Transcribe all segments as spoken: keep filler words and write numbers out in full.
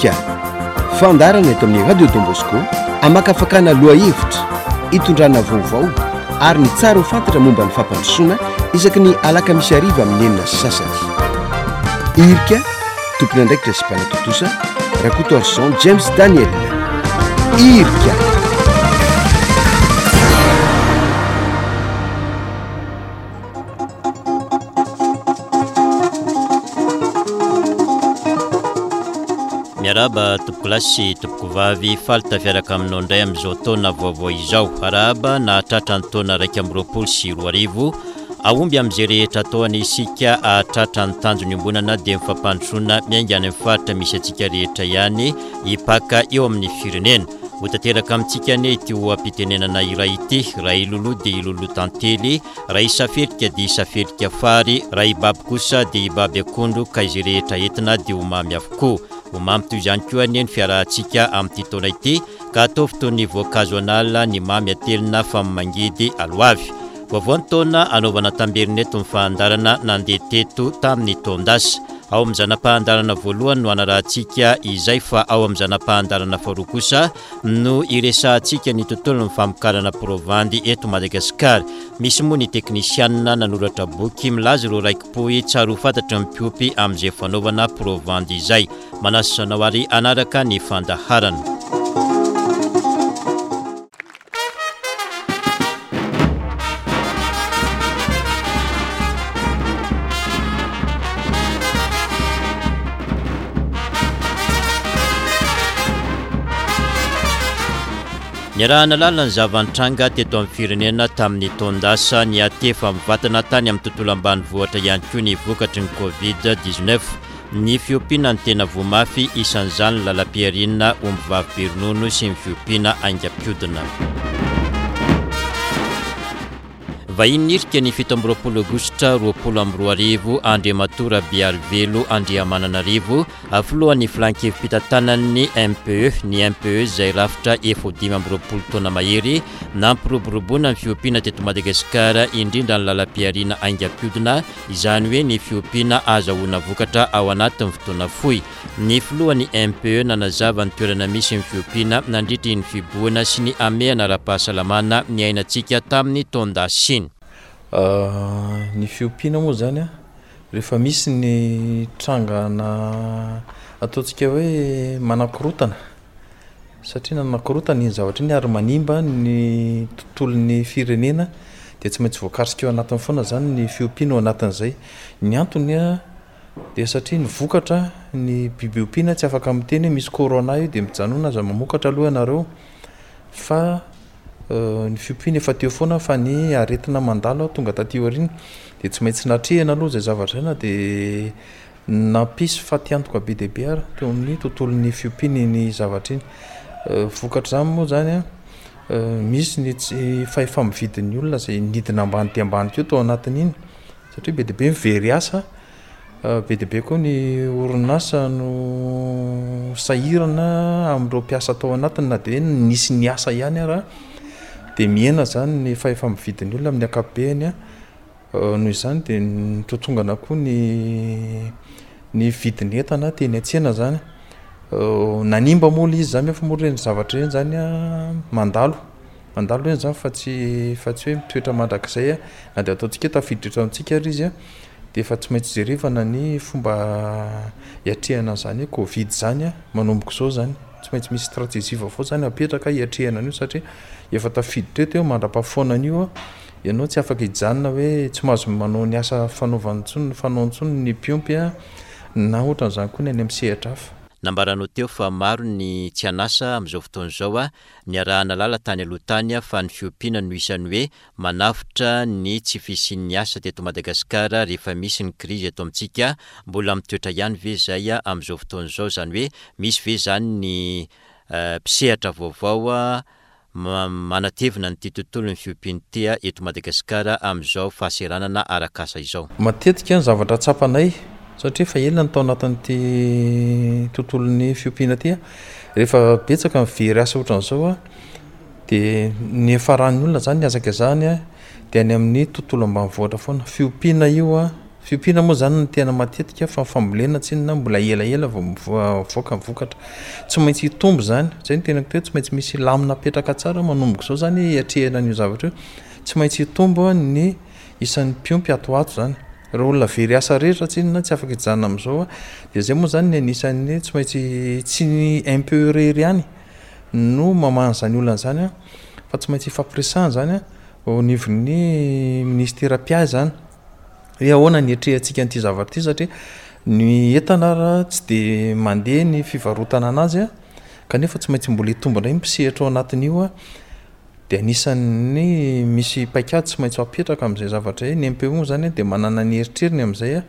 Irika, fandaharana eto amin'ny Radio Don Bosco hamakafakana lohahevitra, hitondrana vaovao ary ny tsara ho fantatra momba ny fampandrosoana isaky ny alakamisy hariva amin'ny enina sy sasany. Irika, tompon'andraikitra sy mpanatontosa, Rakotoarison James Daniel. Irika. Miarahaba tompokolahy sy tompokovavy, faly tafiaraka aminao indray amin'izao taona vaovao izao. Arahaba nahatratra ny taona iraika amby roapolo sy roa arivo. Ahomby amin'izay rehetra ataony isika hahatratra ny tanjona iombonana dia ny fampandrosoana miainga any amin'ny faritra misy antsika rehetra ihany hipaka eo amin'ny firenena. Ho tanteraka amintsika anie ity oha-pitenenana iray ity: raha iloloha dia iloloha tantely, raha isafelika dia isafelika fary, raha ibaby kosa dia ibaby akondro, ka izay rehetra entina dia ho mamy avokoa. Ho mamy toy izany koa anie ny fiarahantsika amin'ity taona ity, ka ataovy toy ny voankazo an'ala ny mamy atelina fa mangidy aloavy. Vaovao ny taona anaovana tamberina eto ny fahandarana nandeha teto tamin'ny taon-dasa. Ao amin'ny zana-pahandarana voalohany no anarahantsika izay, fa ao amin'ny zana-pahandarana faharoa kosa no iresahantsika ny tontolon'ny famokarana provandy eto Madagasikara. Misy moa ny teknisianina nanoratra boky milaza ireo raiki-pohy tsara ho fantatry ny mpiompy amin'izay fanaovana provandy izay. Manasa anao ary hanaraka ny fandaharana. Niarahana lalina ny zava-nitranga teto amin'ny firenena tamin'ny taon-dasa, niatefa mivantana tany amin'ny tontolo ambanivohitra ihany koa ny vokatry ny Covid dix-neuf. Ny fiompiana ny tena voa mafy, isan'izany ny lalam-pihariana ombivavy be ronono sy ny fiompiana haingam-piodina. Vahiny nirika ny fito amby roapolo aogositra roapolo amby roa arivo, Andriamatoa Rabearivelo Andriamananarivo, filohan'ny filan-kevi-pitantanan'ny M P E. Ny M P E izay rafitra efa ho dimy amby roapolo taona mahery nampiroboroboana ny fiompiana teto Madagasikara, indrindra ny lalam-pihariana haingam-piodina, izany hoe ny fiompiana azahoana vokatra ao anatin'ny fotoana fohy. Ny filohan'ny M P E nanazava ny toerana misy ny fiompiana nandritry ny fibohana sy ny hamehana ara-pahasalamana niainantsika tamin'ny taon-dasa iny. Ah, ny fiompiana moa zany a, rehefa misy ny trangana ataontsika hoe manakorotana, satria nanakorotana iny zavatra iny ary manimba ny tontolon'ny firenena, dia tsy maintsy voakasika eo anatiny foana zany ny fiompiana ao anatin'izay. Ny antony a dia satria ny vokatra ny biby ompiana tsy afaka miteny hoe misy corona io dia mijanona aza mamokatra aloha ianareo, fa, euh, ny fiompiana efa teo foana fa ny aretina mandalo tonga taty aoriana dia tsy maintsy natrehina aloha izay zavatra izay, na dia nampisy fatiantoka be dia be ary teo amin'ny tontolon'ny fiompiana iny zavatra iny. Euh, vokatr'izany moa zany a, euh, misy ny tsy fahefa-mividin'ny olona izay nidina ambany dia ambany teo tao anatin'iny, satria be dia be ny very asa, euh, be dia be koa ny orinasa no sahirana amin'ireo mpiasa tao anatiny, na dia hoe nisy niasa ihany ara dia mihena zany ny fahefa-mividin'ny olona amin'ny ankapobeny a. Euh, noho izany dia nitotongana koa ny, ny vidin'ny entana teny an-tsena zany. Euh, nanimba moa ilay izy zany, nefa moa ireny zavatra ireny zany a, mandalo. Mandalo ireny zany fa tsy, fa tsy hoe mitoetra mandrakizay a. Na dia ataontsika hoe tafiditra eto amintsika ary izy a, dia efa tsy maintsy jerevana ny fomba hiatrehana an'izany hoe Covid zany a, manomboka izao zany. Tsy maintsy misy stratégie vaovao zany apetraka hiatrehana an'io, satria efa tafiditra eto eo mandra-pahafoana an'io a. Ianao tsy afaka hijanona hoe tsy mahazo manao ny asa fanaovany intsony, fanao intsony ny mpiompy a, na ohatran'izany koa ny any amin'ny sehatra hafa. Nambaranao teo fa maro ny tsy an'asa amin'izao fotoana izao a, niarahana lala tany aloha tany a, fa ny fiompiana no isan'ny hoe manafotra ny tsy fisian'ny asa teto Madagasikara rehefa misy ny krizy eto amintsika. Mbola mitoetra ihany ve izay a amin'izao fotoana izao, izany hoe misy ve izany ny, eh, mpisehatra vaovao a, ma-, manatevina ny tontolon'ny fiompiana ity eto Madagasikara amin'izao fahaseranana arak'asa izao? Matetika ny zavatra tsapanay, satria efa ela ny tao anatin'ity tontolon'ny fiompiana ity a, rehefa betsaka ny very asa ohatran'izao a, dia ny faran'ny olona zany ny hazakazahany a, dia any amin'ny tontolo ambanivohitra foana. Fiompiana io a, Fiompiana moa zany no tena matetika fa ny fambolena tsinona mbola elaela vao mivoaka ny vokatra. Tsy maintsy hitombo zany, zay no tenako teo, tsy maintsy misy lamina apetraka tsara manomboka izao zany hiatrehana an'io zavatra io. Tsy maintsy hitombo ny isan'ny mpiompy ato ho ato zany. Ireo olona very asa rehetra tsinona tsy afaka hijanona amin'izao dia zay moa zany ny anisan'ny tsy maintsy tsy ny M P E irery ihany no mamaha an'izany olana izany fa tsy maintsy ifampiresahana zany eo anivon'ny ministera mpiahy zany hoe ahoana ny hiatrehantsika an'ity zavatra ity satria ny entana raha tsy de mandeha ny fivarotana anazy a kanefa tsy maintsy mbola hitombo indray ny mpisehatra ao anatin'io a dia anisan'ny misy paikady tsy maintsy apetraka amin'izay zavatra izay. Ny M P E moa zany dia manana ny eritreriny amin'izay a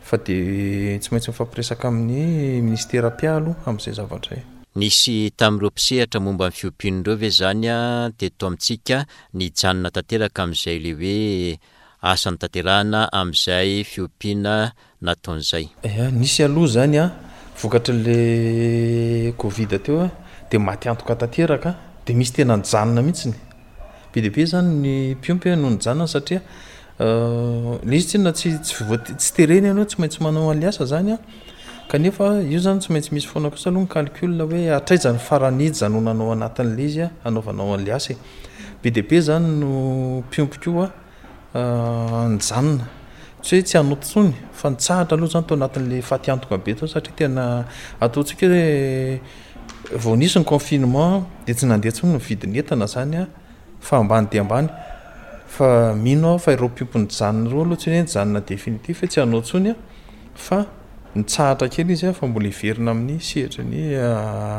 fa dia tsy maintsy mifampiresaka amin'ny ministera mpiahy aloha amin'izay zavatra izay. Nisy tamin'ireo mpisehatra momba ny fiompiana ireo ve zany a teto amintsika nijanona tanteraka amin'izay le hoe asa notanterahana amin'izay fiompiana nataon'izay? Ia, nisy aloha zany a vokatr'le Covid teo a dia maty antoka tanteraka dia misy tena nijanona mihitsiny. Be dia be zany ny mpiompy no nijanona satria le izy tsinona tsy tsy voa- tsy terena ianao tsy maintsy manao an'le asa zany a kanefa io zany tsy maintsy misy foana kosa aloha ny calcul hoe hatraiza ny farany hijanonanao anatin'le izy a hanaovanao an'le asa e. Be dia be zany no mpiompy koa nijanona, tsy hoe tsy hanao intsony fa nitsahatra aloha zany tao anatin'le fatiantoka be tao satria tena ataontsika hoe vao nisy ny confinement dia tsy nandeha intsony ny vidin'ny entana zany a fa ambany dia ambany. Fa mino aho fa ireo mpiompy nijanona ireo aloha tsy hoe nijanona définitif hoe tsy hanao intsony a fa nitsahatra kely izy a fa mbola hiverina amin'ny sehatry ny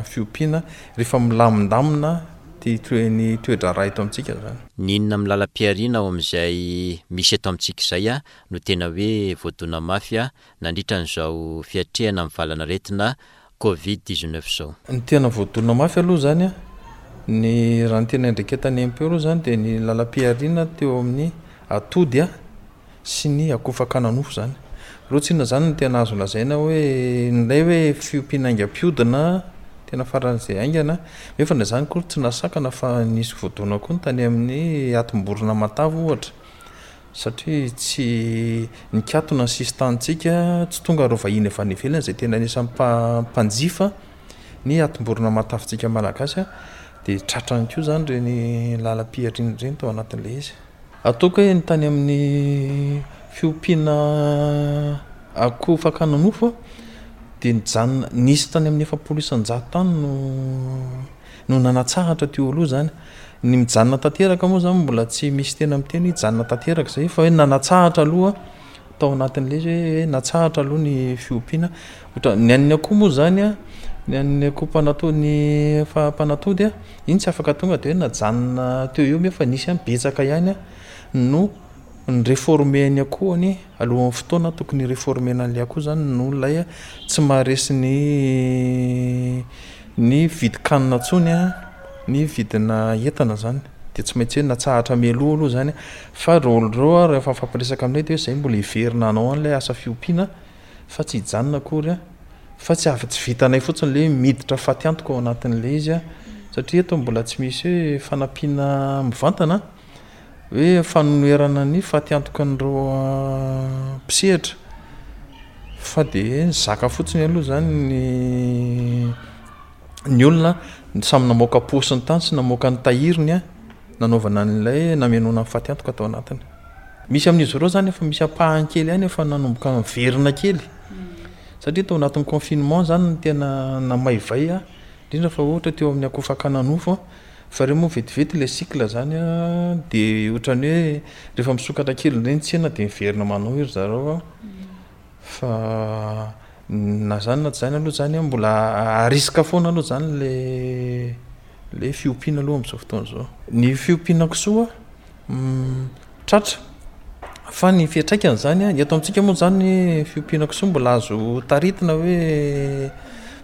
fiompiana rehefa milamindamina ty toe- ny toe-draharaha eto amintsika zany. N'inona amin'ny lalam-pihariana ao amin'izay misy eto amintsika izay a no tena hoe voadona mafy a nandritra an'izao fiatrehana amin'ny valanaretina Covid dix-neuf zao? Ny tena voadona mafy aloha zany a ny raha ny tena iandraiketan'ny M P E aloha zany dia ny lalam-pihariana teo amin'ny atody a sy ny akoho fakana nofo zany. Ireo tsinona zany no tena azo lazaina hoe ilay hoe fiompiana haingam-pihodina tena faran'izay haingana nefa na izany koa tsy nahasakana fa nisy voadona koa ny tany amin'ny atim-borona matavy ohatra satria tsy nikatona ny sisin-tanintsika, tsy tonga ireo vahiny avy any ivelany izay tena anisan'ny mpa- mpanjifa ny atim-borona matavintsika malagasy a dia tratrany koa zany ireny lalam-pihariana ireny tao anatin'ilay izy. Ataoko hoe ny tany amin'ny fiompiana akoho fakana nofo a dia nijanona nisy tany amin'ny efapolo isan-jato tany no no nanatsahatra teo aloha zany. Ny mijanona tanteraka moa zany mbola tsy misy tena miteny hoe hijanona tanteraka zay fa hoe nanatsahatra aloha tao anatin'ilay izy hoe natsahatra aloha ny fiompiana. Ohatra ny an'ny akoho moa zany a ny an'ny akoho mpanatody ny fa- mpanatody a iny tsy afaka tonga dia hoe najanona teo eo nefa nisy ihany betsaka ihany a no ni-réformer ny akohony alohan'ny fotoana tokony hi-réformer-na an'ilay akoho zany noho ilay tsy maharesy ny ny vidin-kanina intsony a ny vidina entana zany dia tsy maintsy hoe natsahatra mialoha aloha zany fa ireo olona ireo a rehefa mifampiresaka aminay dia hoe zay mbola hiverina hanao an'ilay asa fiompiana fa tsy hijanona akory a fa tsy afa tsy vitanay fotsiny le miditra fatiantoka ao anatin'ilay izy a satria eto mbola tsy misy hoe fanampiana mivantana hoe fanonerana ny fatiantoka an'ireo mpisehatra fa dia nizaka fotsiny aloha zany ny ny olona samy namoaka paosiny tany sy namoaka ny tahiriny a nanaovana an'ilay namenoana ny fatiantoka tao anatiny. Misy amin'izy ireo zany efa misy ampahany kely ihany efa nanomboka miverina kely satria tao anatin'ny confinement zany no tena namaivay a indrindra fa ohatra teo amin'ny akoho fakana nofo a fa ireo moa vetivety le cycle zany a dia ohatran'ny hoe rehefa misokatra kely indray ny tsena dia miverina manao iry zareo a fa na zany na tsy zany aloha zany a mbola à risque foana aloha zany le le fiompiana aloha amin'izao fotoana izao. Ny fiompiana kisoa tratra fa ny fiantraikany zany a eto amintsika moa zany fiompiana kisoa mbola azo taritina hoe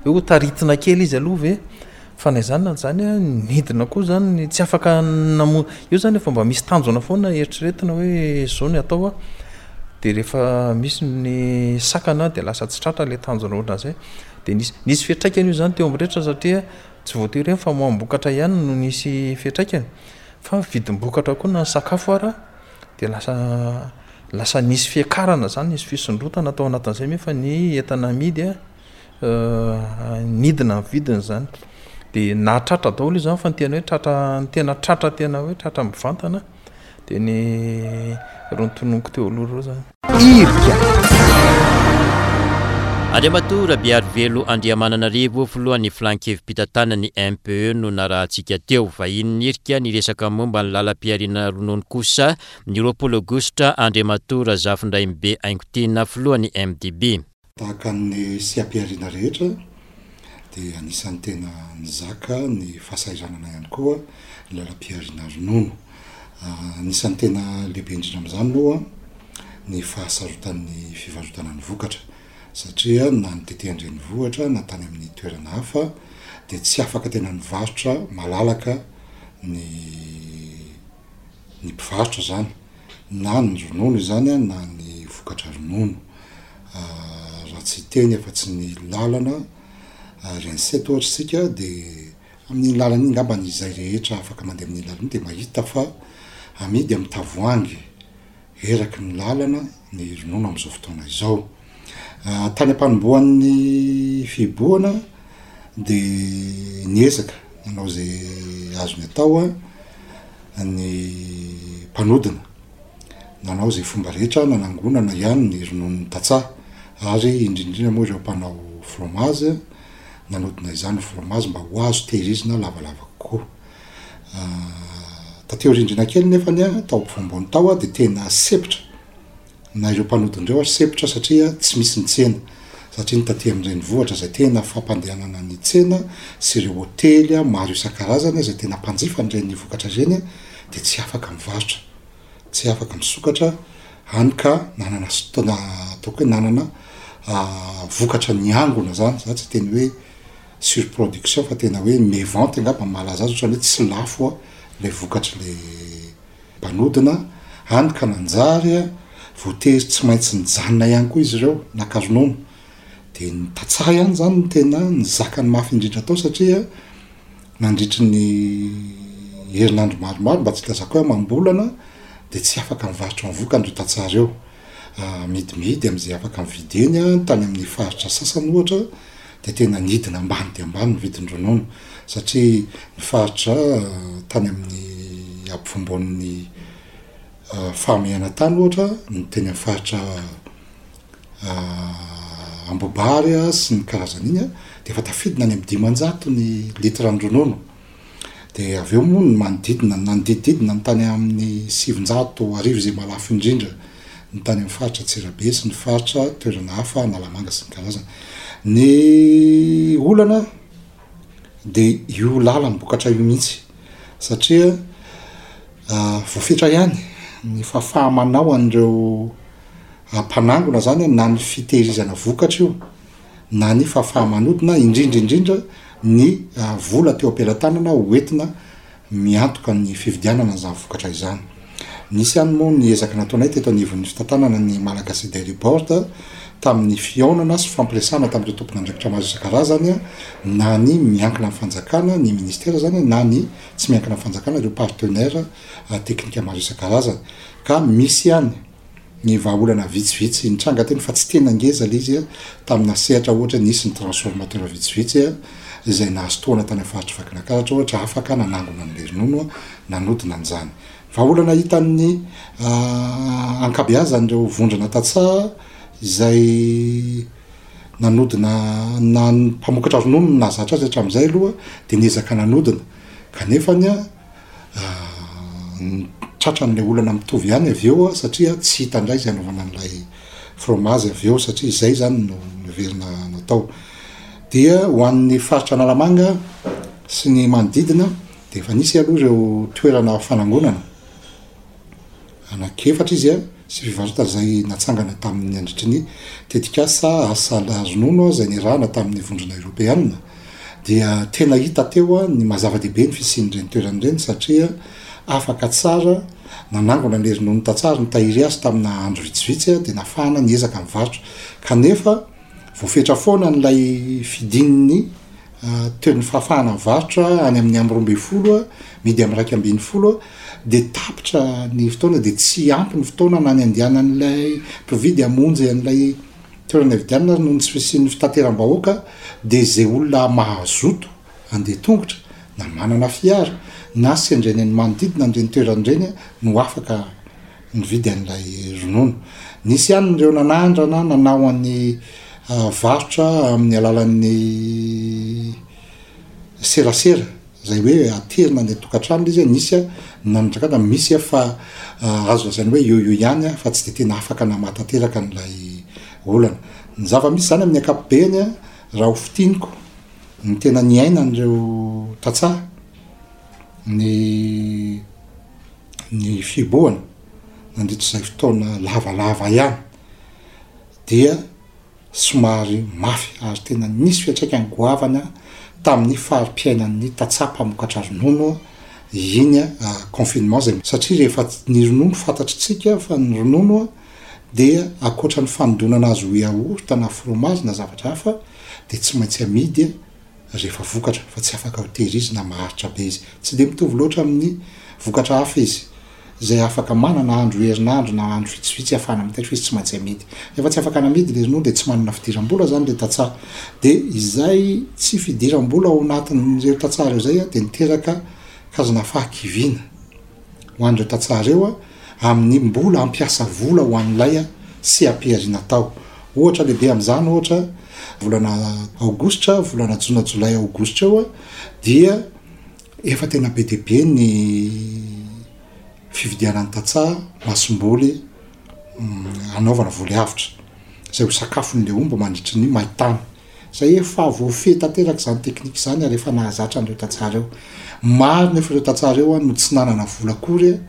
hoe ho taritina kely izy aloha ve fa na izany na zany a nidina koa zany tsy afaka namo io zany efa mba misy tanjona foana eritreretina hoe zao ny atao a dia rehefa misy ny sakana dia lasa tsy tratra le tanjona ohatran'izay dia nisy nisy fiantraikany io zany teo amin'ny rehetra satria tsy voatery hoe ny famoaham-bokatra ihany no nisy fiantraikany fa vidim-bokatra koa na ny sakafo ara dia lasa Lasa nisy fiakarana zany, nisy fisondrotana tao anatin'izay, nefa ny entana amidy a nidina ny vidiny zany. De nahatratra daholo io zany, fa ny tena hoe tratra, ny tena tratra, tena hoe tratra mivantana de ny reo notononiko teo aloha reo zany. Irika. Andriamatoa Rabearivelo Andriamananarivo, filohan'ny filan-kevi-pitantanan'ny M P E no narahantsika teo. Vahiny nirika ny resaka momba ny lalam-pihariana ronono kosa ny roapolo aogositra Andriamatoa Razafindraimbe Aingotiana, filohan'ny M D B. Tahaka ny seha-pihariana rehetra dia anisan'ny tena nizaka ny fahasahiranana ihany koa ny lalam-pihariana ronono. Anisan'ny tena lehibe indrindra amin'izany moa ny fahasarotan'ny fivarotana ny vokatra, satria na ny tety an-drenivohitra na tany amin'ny toerana hafa dia tsy afaka tena nivarotra malalaka ny ny mpivarotra zany, na ny ronono izany a na ny vokatra ronono. Raha tsy teny efa tsy ny lalana R N sept ohatra sika, de amin'iny lalana iny ngambany izay rehetra afaka mandeha amin'iny lalana iny de mahita fa amidy amy tavoangy eraky ny lalana ny ronono am'izao fotoana izao. Tany am-panombohan'ny fihibohana de niezaka nanao zay azony atao a ny mpanodina, nanao zay fomba rehetra nanangonana ihany ny ronono tantsaha, ary indrindrindrindra moa ireo mpanao fromage nanodina izany fromage mba ho azo tehirizina lavalava kokoa. Tateo rindrina kely nefany a tao ampovoambony tao a de tena sempotra na ireo mpanodina ary sempotra, satria tsy misy ny tsena, satria ny taty am'renivohitra zay tena fampandehanana ny tsena sy ireo hotely a maro isan-karazany zay tena mpanjifa nyreny vokatra reny a de tsy afaka mivarotra, tsy afaka misokatra any, ka nanana tona ataoko hoe nanana vokatra ny angona zany. Za tsy teny hoe surproduction fa tena hoe mévente angamba mahalaza azy, ohatrany hoe tsy lafo a le vokatry le mpanodina any, ka nanjary a voatery tsy maintsy nijanona ihany koa izy ireo naka ronono. De ny tantsaha ihany zany no tena ny zakany mafy indrindra atao, satria nandritry ny herinandro maromaro, mba tsy ilazako hoe amam-bolana, de tsy afaka mivarotra ny vokany reo tantsaha reo. Midimidy am'izay afaka mividy eny a tany amin'ny faritra sasany ohatra de tena nidina ambany de ambany ny vidin-dronono, satria ny faritra tany amin'ny ampovoambonin'ny fahamehana tany ohatra, ny teny amy faritra Ambohibary a sy ny karazany iny a de efa tafidina any amy dimanjato ny litra ny ronono, de avy eo moa ny manodidina nanodidididina ny tany amin'ny sivinjato arivo zay malafo indrindra ny tany amy faritra Antsirabe sy ny faritra toerana hafa, Analamanga sy ny karazany. Ny olana de io lalam-bokatra io mihitsy, satria voafetra ihany ny fahafaha-manao an'ireo mpanangona zany, na ny fitehirizana vokatra io na ny fahafaha-manodina, indrindrindrindra ny vola teo am-pelatanana hoentina miantoka ny fividianana zany vokatra izany. Nisy ihany moa ny ezaka nataonay teto anivon'ny fitantanana ny Malagasy Dairy Board tamin'ny fihaonana sy fampiresahana tamin'ireo tompon'andraikitra maro isan-karazany, na ny miankina amin'ny fanjakana, ny ministera zany, na ny tsy miankina amin'ny fanjakana, ireo partenaire teknika maro isan-karazany, ka misy ihany ny vahaolana vitsivitsy nitranga teny, fa tsy tena ngeza le izy a tamina sehatra. Ohatra, nisy ny transformateur vitsivitsy a izay nahazo tohana tany amin'ny faritry Vakinankaratra ohatra, afaka nanangona an'le ronono a nanodina an'izany. Vahaolana hitan'ny ankabeazan'ireo vondrona tantsaha izay nanodina na ny mpamokatra ronono no nahazatra azy hatramin'izay aloha, de niezaka nanodina, kanefany a tratran'le olana mitovy ihany avy eo a satria tsy hita indray zay anaovana an'ilay fromage avy eo, satria izay zany no noverina natao. Dia ho an'ny faritra Analamanga sy ny manodidina de efa nisy aloha ireo toerana fanangonana anankiefatra izy a sy fivarotana zay natsangana tamin'ny andritry ny tetikasa asa ronono zay nirahana tamin'ny Vondrona Eoropeanina. Dia tena hita teo a ny mahazava-dehibe ny fisian'ireny toerana ireny, satria afaka tsara nanangona le ronono tantsaha, ny tahiry azy tamina andro vitsivitsy a de nafahana niezaka mivarotra, kanefa voafetra foana n'lay fidin'ny toy ny fahafahana mivarotra any amin'ny amby roa amby folo a midy amy raiky ambin'ny folo a de tapitra ny fotoana, de tsy ampy ny fotoana na ny andehanan'ilay mpividy hamonjy an'ilay toerana ividianana ary noho ny tsy fisian'ny fitateram-bahoaka, de zay olona mahazoto andeha tongotra na manana fiara na sendra eny amin'ny manodidina an'ireny toerana ireny no afaka nividy an'ilay ronono. Nisy ihany ireo nanandrana nanao an'ny varotra amin'ny alalan'ny serasera, zay hoe aterina any an-tokantrano izy, nisy a nandraka misy a fa azo lazaina hoe eo eo ihany a fa tsy de tena afaka namahatanteraka an'ilay olana. Ny zava-misy zany amin'ny ankapobeny a raha ho fintiniko ny tena niainan'ireo tantsaha ny ny fihibohana nandritra izay fotoana lavalava ihany dia somary mafy ary tena nisy fiantraikany goavana tamin'ny fari-piainan'ny tantsaha mpamokatra ronono iny confinement zay, satria rehefa ny ronono fantatritsika fa ny ronono dia ankoatra ny fanodonana azy ho yaourt na fromage na zavatra hafa de tsy maintsy amidy rehefa vokatra fa tsy afaka ho tehirizina maharitra be izy. Tsy de mitovy loatra amin'ny vokatra hafa izy zay afaka manana andro herinandro na andro vitsivitsy ahafahana mitahiry fa izy tsy maintsy amidy. Rehefa tsy afaka namidy le ronono de tsy manana fidiram-bola zany le tantsaha, de izay tsy fidiram-bola ao anatin'ireo tantsaha reo zay a de niteraka karazana fahakiviana ho an'ireo tantsaha reo a amin'ny mbola ampiasa vola ho an'ilay seha-pihariana tao. Ohatra lehibe am'izany, ohatra volana aogositra, volana jona, jolay, aogositra eo a dia efa tena be dia be ny fividianan'ny tantsaha masomboly anaovana voly avotra zay ho sakafon'le omby mandritry ny maintany, zay efa voafehy tanteraka zany teknika zany ary efa nahazatra an'ireo tantsaha reo. Maro nefa ireo tantsaha reo a no tsy nanana vola akory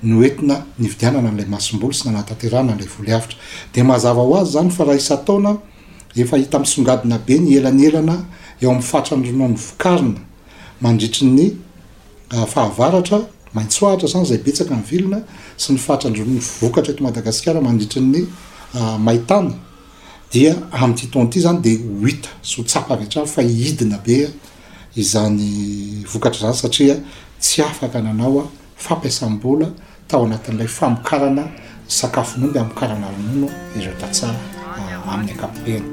no entina nividianana an'ilay masomboly sy nanatanterahana an'ilay voly avotra. De mazava ho azy zany fa raha isan-taona efa hita misongadina be ny elanelana eo amin'ny fatran'ny ronono vokarina mandritry ny fahavaratra maitsoahitra zany zay betsaka ny vilona sy ny fatran'ny ronono vokatra eto Madagasikara mandritry ny maintany, dia amin'ity taona ity zany de ho hita sy ho tsapa avy hatrany fa hidina be izany vokatra zany, satria tsy afaka nanao fampiasam-bola tao anatin'ilay famokarana sakafon'omby hamokarana ronono ireo tantsaha amin'ny ankapobeny.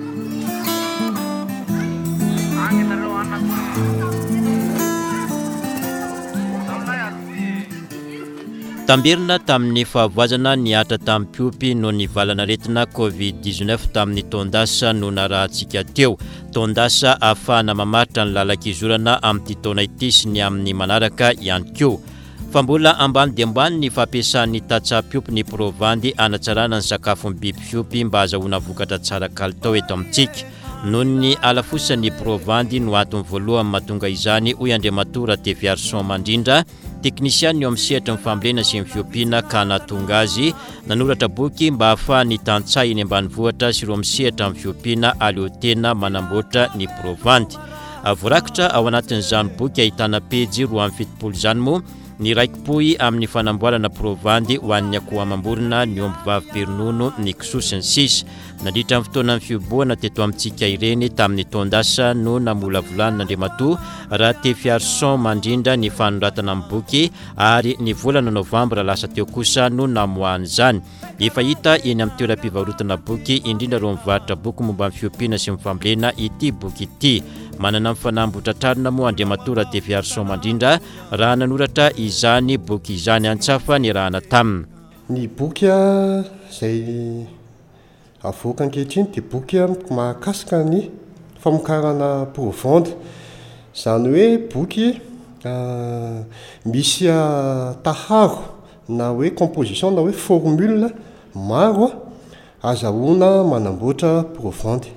Tamberina tamin'ny fahavoazana nihatra tamin'ny mpiompy noho ny valanaretina covid dix-neuf tamin'ny taon-dasa no narahantsika teo. Taon-dasa ahafahana mamaritra ny lalan-kizorana amin'ity taona ity sy ny amin'ny manaraka ihany koa. Fa mbola ambany dia ambany ny fampiasan'ny tantsaha mpiompy ny provandy hanatsarana ny sakafon'ny biby fiompy mba hahazoana vokatra tsara kalitao eto amintsika. Noho ny halafosan'ny provandy no antony voalohany mahatonga izany, hoy Andriamatoa Ratefiarison Mandrindra, teknisianina eo amin'ny sehatry ny fambolena sy ny fiompiana, ka nahatonga azy nanoratra boky mba hahafahan'ny tantsaha eny ambanivohitra sy ireo misehatra amin'ny fiompiana aleo tena manamboatra ny provandy. Voarakitra ao anatin'izany boky ahitana pejy roa amby fitopolo izany moa ny raikipohy amin'ny fanamboarana provandy ho an'ny akoho amam-borona, ny omby vavy be ronono, ny kisoa sy ny sisa. Nandritra ny fotoanan'ny fihibohana teto amintsika ireny tamin'ny taon-dasa no namolavolan'Andriamatoa Ratefiarison Mandrindra ny fanoratana ny boky, ary ny volana novambra lasa teo kosa no namoahany izany. Efa hita eny amin'ny toeram-pivarotana boky, indrindra ireo mivarotra boky momba ny fiompiana sy ny fambolena ity boky ity. Manana ny fanambotra trarina moa Andriamatoa Ratefiarison Mandrindra raha nanoratra izany boky izany. Antsafa ny rahana taminy. Ny boky izay avoaka ankehitriny dia boky mahakasika ny famokarana provandy, izany hoe boky misy taharo na hoe composition na hoe formule maro azahoana manamboatra provandy.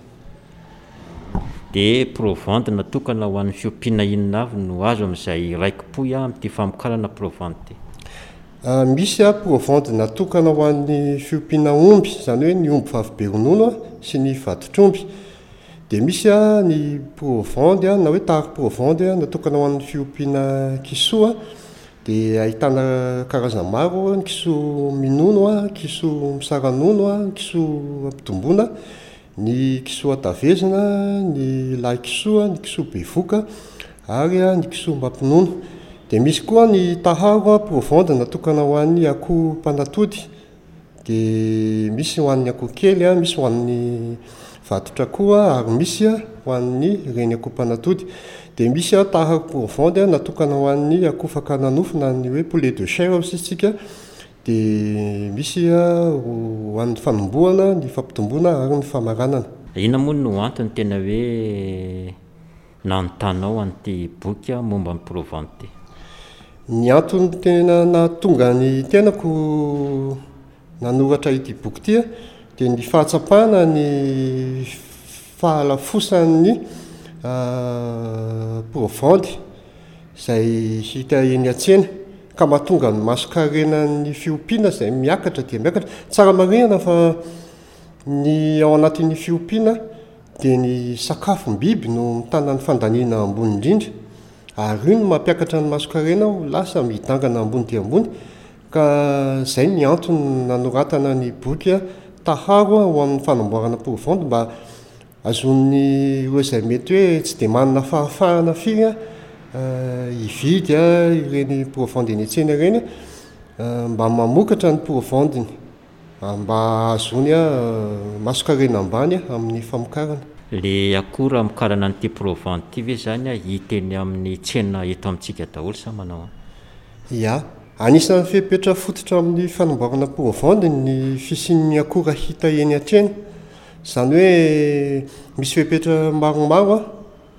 Dia provandy natokana ho an'ny fiompiana inona avy no azo amin'izay raikipohy amin'ity famokarana provandy ity? Misy provandy natokana ho an'ny fiompiana omby, izany hoe ny omby vavy be ronono sy ny vatotr'omby. Dia misy ny provandy na hoe taharo provandy natokana ho an'ny fiompiana kisoa, dia ahitana karazana maro: ny kisoa minono, kisoa misara-nono, kisoa ampitomboana, ny kisoa tavezina, ny lahy kisoa, ny kisoa bevoka ary ny kisoa mampinono. Dia misy koa ny taharo provende natokana ho an'ny akoho mpanatody, dia misy ho an'ny akoho kely, misy ho an'ny vatotra koa, ary misy ho an'ny reny akoho mpanatody. Dia misy taharo provende natokana ho an'ny akoho fakana nofo na ny hoe poulet de chair hoy isika. Dia misy ho an'ny fanombohana, ny fampitomboana ary ny famaranana. Inona moa no antony tena hoe nanontanao an'ity boky momba ny provende ity? Ny antony tena nahatonga ny tenako nanoratra ity boky ity dia ny fahatsapana ny fahalafosan'ny provende izay hita eny an-tsena ka mahatonga ny mason-karenan'ny fiompiana izay miakatra dia miakatra. Tsara marihana fa ny ao anatin'ny fiompiana dia ny sakafom-biby no mitana ny fandaniana ambony indrindra, ary io no mampiakatra ny mason-karena ho lasa midangana ambony dia ambony. Ka izay ny antony nanoratana ny boky taharo ho amin'ny fanamboarana provende mba azon'ny ireo izay mety hoe tsy dia manana fahafahana firy hividy ireny provende eny an-tsena ireny, mba mamokatra ny provendiny mba ahazoany mason-karena ambany amin'ny famokarana. Le akora amokarana an'ity provende ity ve zany hita eny amin'ny tsena eto amintsika daholo sa manao ahoana? Ya, anisan'ny fepetra fototra amin'ny fanamboarana provende ny fisian'ny akora hita eny an-tsena. Izany hoe misy fepetra maromaro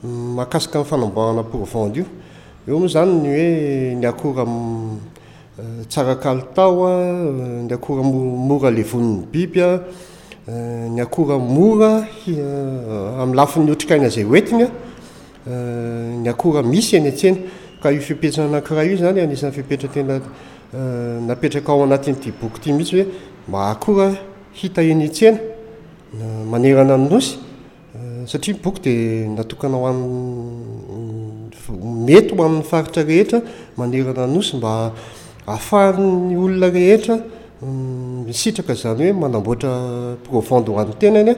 mahakasika ny fanamboarana provende io. Eo moa zany ny hoe ny akora tsara kalitao, ny akora mora levonin'ny biby, ny akora mora amin'ny lafiny otrikaina izay hoentiny, ny akora misy eny an-tsena. Ka io fepetra anankiray io zany anisan'ny fepetra tena napetraka ao anatin'ity boky ity mihitsy hoe mba akora hita eny an-tsena manerana ny nosy, satria ny boky dia natokana ho an'ny mety ho amin'ny faritra rehetra manerana ny nosy mba ahafahan'ny olona rehetra misitraka izany hoe manamboatra provende ho an'ny tenany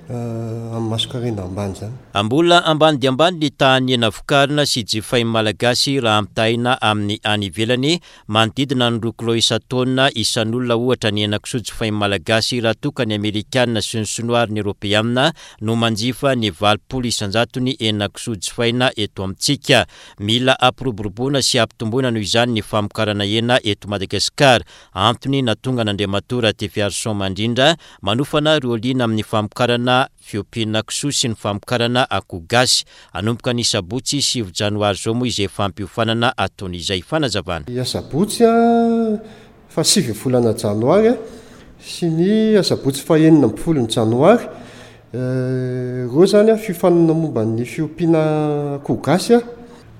amin'ny mason-karena ambany izany. Mbola ambany dia ambany ny tahan'ny hena vokarina sy jifain'ny Malagasy raha ampitahaina amin'ny any ivelany. Manodidina ny roa kilao isan-taona isan'olona ohatra ny hena kisoa jifain'ny Malagasy, raha toa ka ny Amerikanina sy ny Sinoa ary ny Eoropeanina no manjifa ny valopolo isan-jatony hena kisoa jifaina eto amintsika. Mila ampiroboroboana sy ampitomboina noho izany ny famokarana hena eto Madagasikara. Antony nahatonga an'Andriamatoa Ratifiarison Mandrindra manofana ireo liana amin'ny famokarana fiompiana kisoa sy ny famokarana akoho gasy. Hanomboka ny sabotsy sivy janoary izao moa izay fampiofanana ataony izay. Fanazavana. Ny asabotsy fahasivy volana janoary sy ny asabotsy fahenina ambin'ny folo ny janoary, ireo zany fiofanana momba ny fiompiana akoho gasy,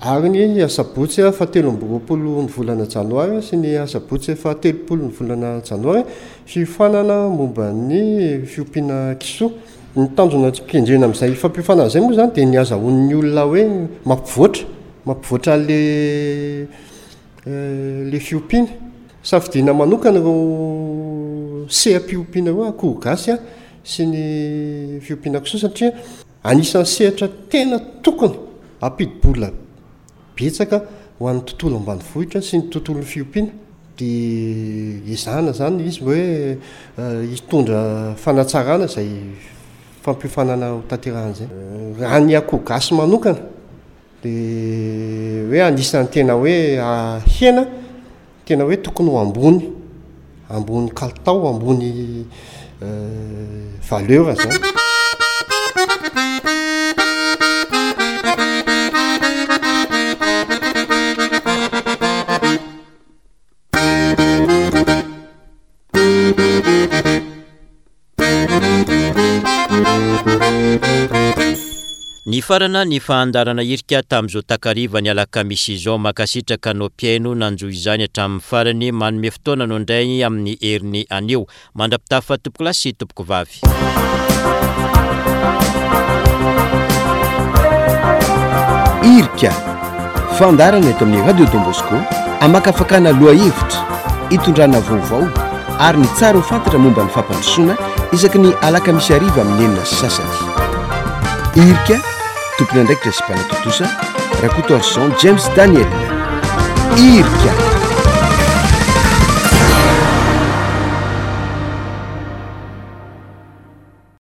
ary ny asabotsy fahatelo amby roapolo ny volana janoary sy ny asabotsy fahatelopolo ny volana janoary fiofanana momba ny fiompiana kisoa. Ny tanjona kendrena amin'izay fampiofanana izay moa zany dia ny azahoan'ny olona hoe mampivoatra, mampivoatra le, le fiompiana. Safidiana manokana ireo seha-piompiana ireo akoho gasy sy ny fiompiana kisoa, satria anisan'ny sehatra tena tokony hampidi-bola betsaka ho an'ny tontolo ambanivohitra sy ny tontolon'ny fiompiana. Dia ezahana zany izy hoe hitondra fanatsarana izay fampiofanana ho tanterahana izay. Raha ny akoho gasy manokana dia hoe anisan'ny tena hoe hena tena hoe tokony ho ambony, ambony kalitao, ambony valeur zany. Nifarana ny fahandarana hirika tamin'izao takariva ny alakamisy izao. Mankasitraka anao mpihaino nanjo izany hatramin'ny farany. Manome fotoana anao indray amin'ny heriny anio. Mandra-pitafa tompokolahy sy tompokovavy. Hirika, fandaharana eto amin'ny Radio Don Bosco, amakafakana lohahevitra, itondrana vaovao ary ny tsara ho fantatra momba ny fampandrosoana isaky ny alakamisy hariva amin'ny enina sy sasany. Hirika, tompon'andraikitra sy mpanatontosa, Rakotoarison James Daniel. Irika.